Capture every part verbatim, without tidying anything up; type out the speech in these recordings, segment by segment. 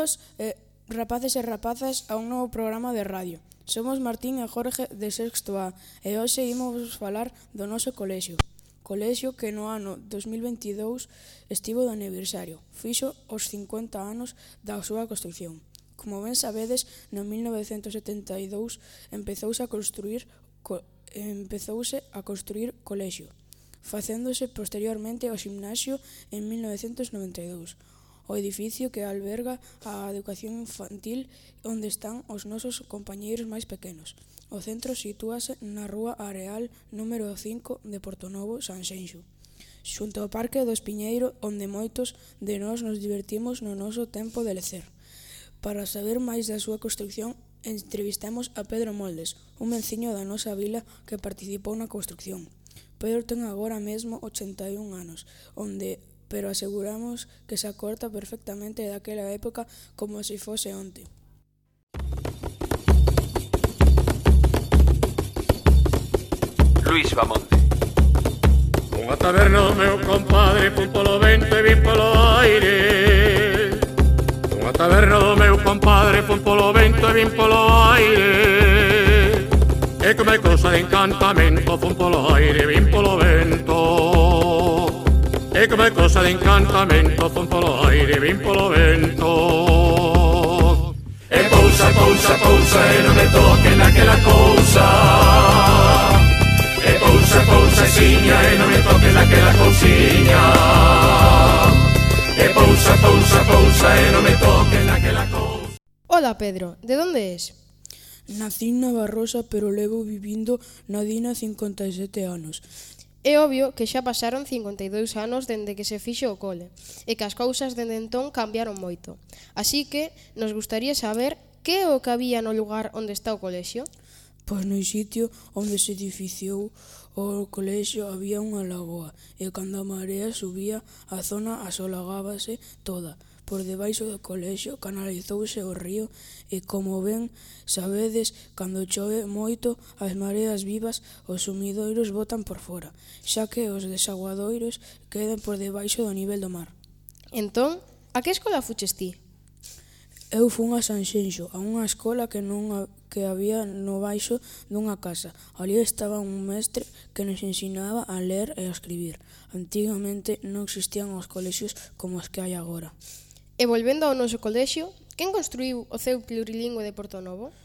Benvidos, eh, rapaces e rapazas, a un novo programa de radio. Somos Martín e Jorge de sexto A e hoxe imos falar do noso colexio. Colexio que no ano dos mil veintidous estivo de aniversario. Fixo os cincuenta anos da súa construción. Como ben sabedes, no mil novecentos setenta e dous empezouse a construir co, empezouse a construir colexio, facéndose posteriormente o ximnasio en mil novecentos noventa e dous. O edificio que alberga a educación infantil onde están os nosos compañeiros máis pequenos. O centro sitúase na rúa Areal número cinco de Portonovo, Sanxenxo, xunto ao Parque do Espiñeiro, onde moitos de nós nos divertimos no noso tempo de lecer. Para saber máis da súa construción, entrevistamos a Pedro Moldes, un venciño da nosa vila que participou na construción. Pedro ten agora mesmo ochenta e un anos, onde pero aseguramos que se acorta perfectamente daquela época como se fose onte. Luis Bamonte. Unha taberna do meu compadre, pun polo vento e vin polo aire. Unha taberna do meu compadre, pun polo vento e vin polo aire. E come cosa de encantamento, pun polo aire e vin polo vento. E come cosa de encantamento, fun polo aire, vin polo vento. E pousa, pousa, pousa, e non me toque naquela cousa. E pousa, pousa, siña, e non me toque naquela cousiña. E pousa, pousa, pousa, e non me toque naquela cousa. Hola Pedro, de onde es? Nací na Barrosa, pero levo vivindo na Dina cincuenta e sete anos. É obvio que xa pasaron cincuenta e dous anos dende que se fixo o cole e que as cousas dende entón cambiaron moito. Así que nos gustaría saber que é o que había no lugar onde está o colexio. Pois no sitio onde se edificiou o colexio había unha lagoa e cando a marea subía a zona asolagábase toda. Por debaixo do colexio canalizouse o río e, como ben sabedes, cando chove moito, as mareas vivas os sumidoiros botan por fora, xa que os desaguadoiros quedan por debaixo do nivel do mar. Entón, a que escola fuches ti? Eu fun a Sanxenxo, a unha escola que non a, que había no baixo dunha casa. Ali estaba un mestre que nos ensinaba a ler e a escribir. Antigamente non existían os colexios como os que hai agora. E volvendo ao noso colexio, quen construíu o C E U plurilingüe de Portonovo?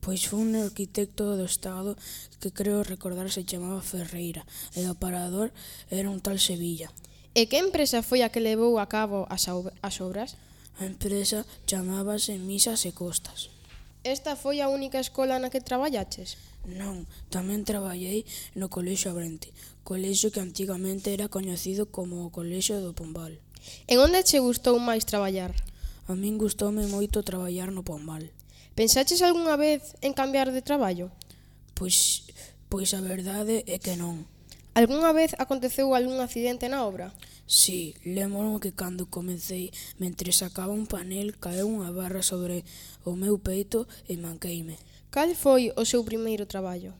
Pois foi un arquitecto do Estado que creo recordar se chamaba Ferreira e o parador era un tal Sevilla. E que empresa foi a que levou a cabo as, as obras? A empresa chamábase Misas e Costas. Esta foi a única escola na que traballaches? Non, tamén traballei no Colexio Abrente, colexio que antigamente era coñecido como o Colexio do Pombal. En onde che gustou máis traballar? A min gustoume moito traballar no Pombal. Pensaches algunha vez en cambiar de traballo? Pois, pois a verdade é que non. Algunha vez aconteceu algún accidente na obra? Si, lembro que cando comecei, mentre sacaba un panel, caeu unha barra sobre o meu peito e manqueime. Cal foi o seu primeiro traballo?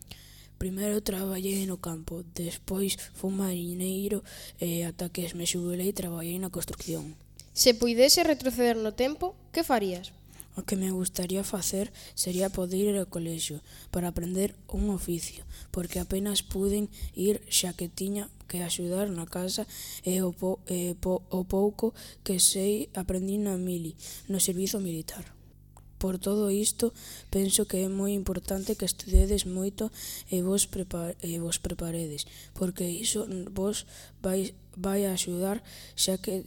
Primeiro traballei no campo, despois fui mariñeiro e ata que me xubilei traballei na construcción. Se puidese retroceder no tempo, que farías? O que me gustaría facer sería poder ir ao colexio para aprender un oficio, porque apenas puden ir xa que tiña que axudar na casa e o, po, e po, o pouco que sei aprendí na mili, no servizo militar. Por todo isto, penso que é moi importante que estudedes moito e vos, prepar, e vos preparedes, porque iso vos vai, vai a axudar xa que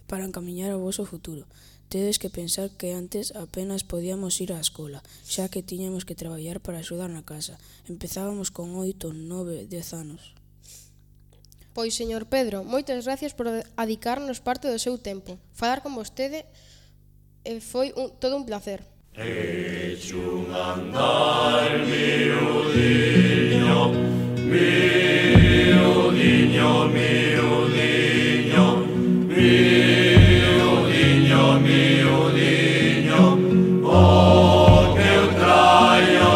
para encamiñar o voso futuro. Tedes que pensar que antes apenas podíamos ir á escola, xa que tiñamos que traballar para axudar na casa. Empezábamos con oito, nove, dez anos. Pois, señor Pedro, moitas gracias por adicarnos parte do seu tempo. Falar con vostede foi un, todo un placer. Eche un andar, miudiño, miudiño, miudiño, miudiño, miudiño, o que eu traio.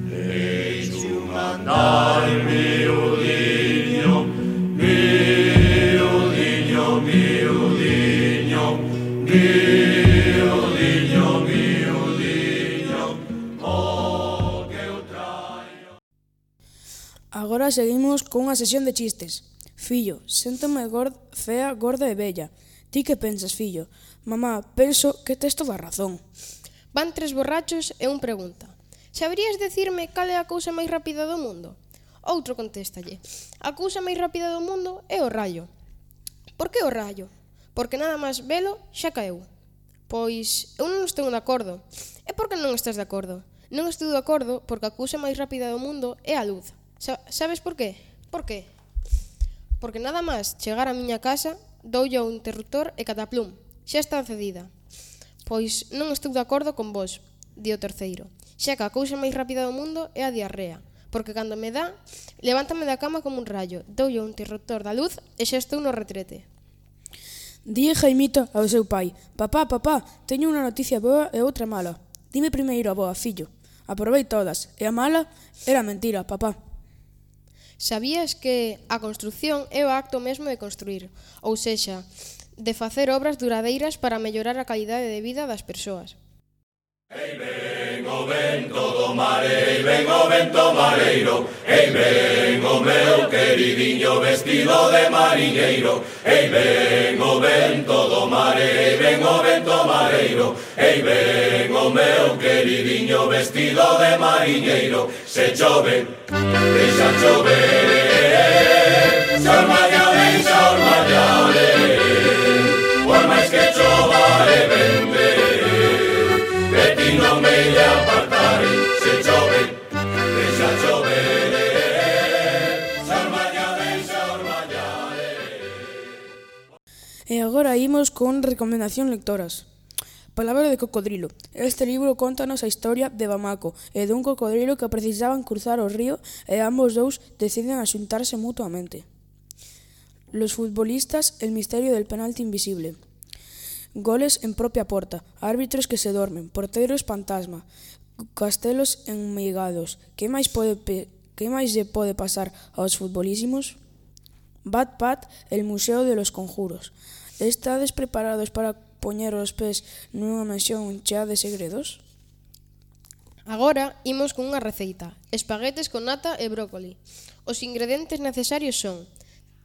Eche un andar, miudiño, miudiño, miudiño, agora seguimos cunha sesión de chistes. Fillo, séntome gorda, fea, gorda e bella. Ti que pensas, fillo? Mamá, penso que tes toda a razón. Van tres borrachos e un pregunta: saberías decirme cal é a cousa máis rápida do mundo? Outro contéstalle: a cousa máis rápida do mundo é o rayo. Por que o rayo? Porque nada máis velo xa caeu. Pois eu non estou de acordo. E por que non estás de acordo? Non estou de acordo porque a cousa máis rápida do mundo é a luz. Sa- sabes por qué? Por qué? Porque nada máis chegar á miña casa, doulle ao interruptor e cataplum, xa está encendida. Pois non estou de acordo con vos, di o terceiro. Xa que a cousa máis rápida do mundo é a diarrea, porque cando me dá, levántame da cama como un rayo, doulle ao interruptor da luz e xa estou no retrete. Di Jaimito ao seu pai: Papá, papá, teño unha noticia boa e outra mala. Dime primeiro a boa, fillo. Aprobei todas, e a mala era mentira, papá. Sabías que a construción é o acto mesmo de construir, ou sexa, de facer obras duradeiras para mellorar a calidade de vida das persoas. Ei ven o vento do mare, ei ven o vento mareiro, ei ven o meu queridiño vestido de mariñeiro, ei ven o vento do mare, ei ven o vento mareiro, ei ven o meu queridiño vestido de mariñeiro. Se chove, deixa chover, se ormalla, deixa ormallare, por máis que chova e vente, de ti non me lle apartare. Se chove, deixa chover, se ormalla, deixa ormallare. E agora imos con recomendación lectoras. Palabra de cocodrilo. Este libro contanos a historia de Bamako e dun cocodrilo que precisaban cruzar o río e ambos dous deciden axuntarse mutuamente. Los futbolistas, el misterio del penalti invisible. Goles en propia porta, árbitros que se dormen, porteros fantasma, castelos enmeigados. Que máis pode pe... que máis lle pode pasar aos futbolísimos? Bat Pat, el museo de los conjuros. Estades preparados para poñer os pés nunha mansión chea de segredos? Agora imos con unha receita: espaguetes con nata e brócoli. Os ingredientes necesarios son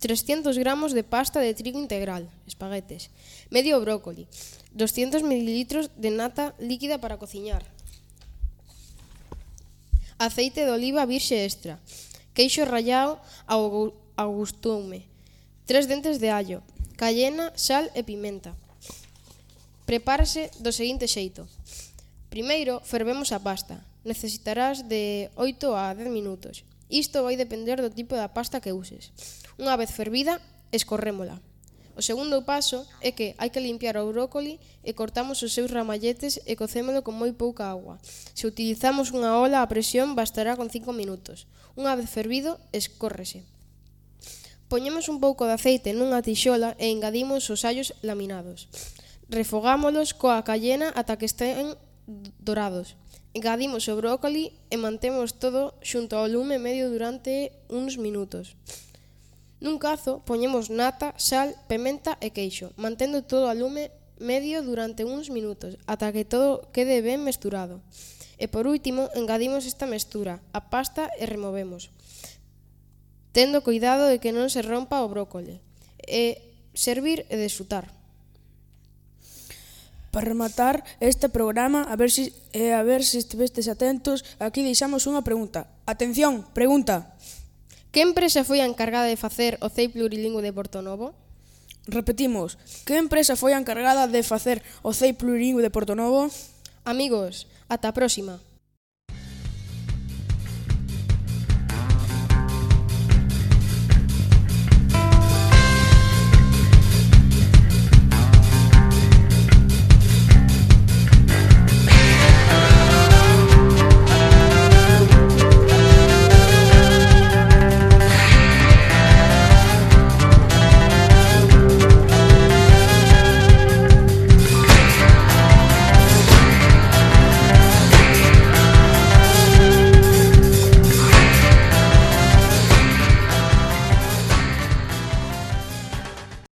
trescentos gramos de pasta de trigo integral, espaguetes, medio brócoli, doscientos mililitros de nata líquida para cociñar, aceite de oliva virxe extra, queixo rallado ao, ao gustume, tres dentes de allo, cayena, sal e pimenta. Prepárase do seguinte xeito. Primeiro, fervemos a pasta. Necesitarás de oito a dez minutos. Isto vai depender do tipo da pasta que uses. Unha vez fervida, escorrémola. O segundo paso é que hai que limpiar o brócoli e cortamos os seus ramalletes e cocémolo con moi pouca agua. Se utilizamos unha ola a presión, bastará con cinco minutos. Unha vez fervido, escórrese. Poñemos un pouco de aceite nunha tixola e engadimos os allos laminados. Refogámolos coa cayena ata que estén dorados. Engadimos o brócoli e mantemos todo xunto ao lume medio durante uns minutos. Nun cazo poñemos nata, sal, pementa e queixo, mantendo todo ao lume medio durante uns minutos, ata que todo quede ben mesturado. E por último, engadimos esta mestura, a pasta e removemos, tendo cuidado de que non se rompa o brócoli. E servir e desfrutar. Para rematar este programa, a ver si, eh, a ver se estivestes atentos, aquí deixamos unha pregunta. Atención, pregunta. Que empresa foi a encargada de facer o C E I plurilingüe de Portonovo? Repetimos, que empresa foi a encargada de facer o C E I plurilingüe de Portonovo? Amigos, ata a próxima.